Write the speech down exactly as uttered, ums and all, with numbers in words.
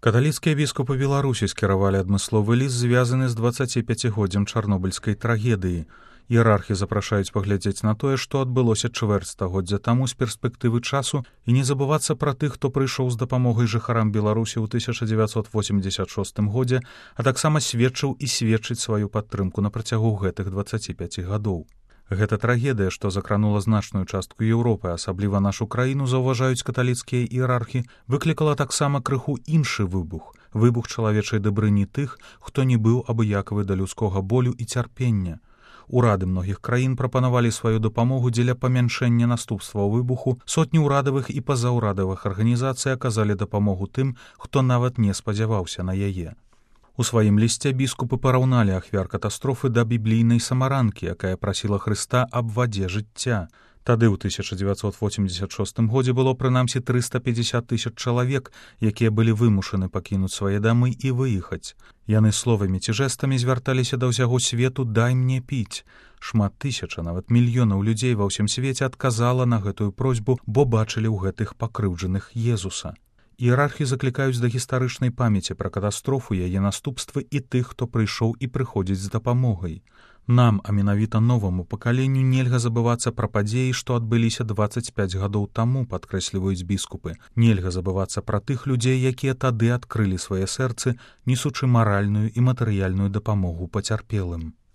Каталіцкія біскупы Беларусі скіравалі адмысловы ліст, звязаны з дваццаціпяцігоддзям чарнобыльскай трагедыі. Іерархі запрашаюць паглядзець на тое, што адбылося чвэрць стагоддзя таму з перспектывы часу, і не забывацца пра тых, хто прыйшоў з дапамогай жыхарам Беларусі ў тысяча дзевяцьсот восемьдесят шостым годзе, а таксама сведчыў і сведчыць сваю падтрымку на працягу гэтых дваццаці пяці гадоў. Гэта трагедыя, што закранула значную частку Еўропы, асабліва нашу краіну, заўважаюць каталіцкія іерархі, выклікала таксама крыху іншы выбух, выбух чалавечай дабрыні тых, хто не быў абыякавы да людскога болю і цярпення. Урады многіх краін прапанавалі сваю дапамогу дзеля памяншэння наступстваў выбуху, сотні ўрадавых і пазаўрадавых арганізацый аказалі дапамогу тым, хто нават не спадзяваўся на яе. У сваім лісце біскупы параўналі ахвяр катастрофы да біблійнай самаранкі, якая прасіла Хрыста аб вадзе жыцця. Тады ў тысяча дзевяцьсот восемьдесят шостым годзе было прынамсі трыста пятьдесят тысяч чалавек, якія былі вымушаны пакінуць свае дамы і выехаць. Яны словамі ці жэстамі звярталіся да ўсяго свету «дай мне піць». Шмат тысяч, а нават мільёнаў людзей ва ўсім свеце адказала на гэтую просьбу, бо бачылі ў гэтых пакрыўджаных Езуса. Іерархі заклікаюць да гістарычнай памяці пра катастрофу, яе наступствы і тых, хто прыйшоў і прыходзіць з дапамогай. Нам, а менавіта новаму пакаленню, нельга забывацца пра падзеі, што адбыліся дваццаць пяць гадоў таму, падкрэсліваюць біскупы. Нельга забывацца пра тых людзей, якія тады адкрылі свае сэрцы, несучы маральную і матэрыяльную дапамогу пацярпелым.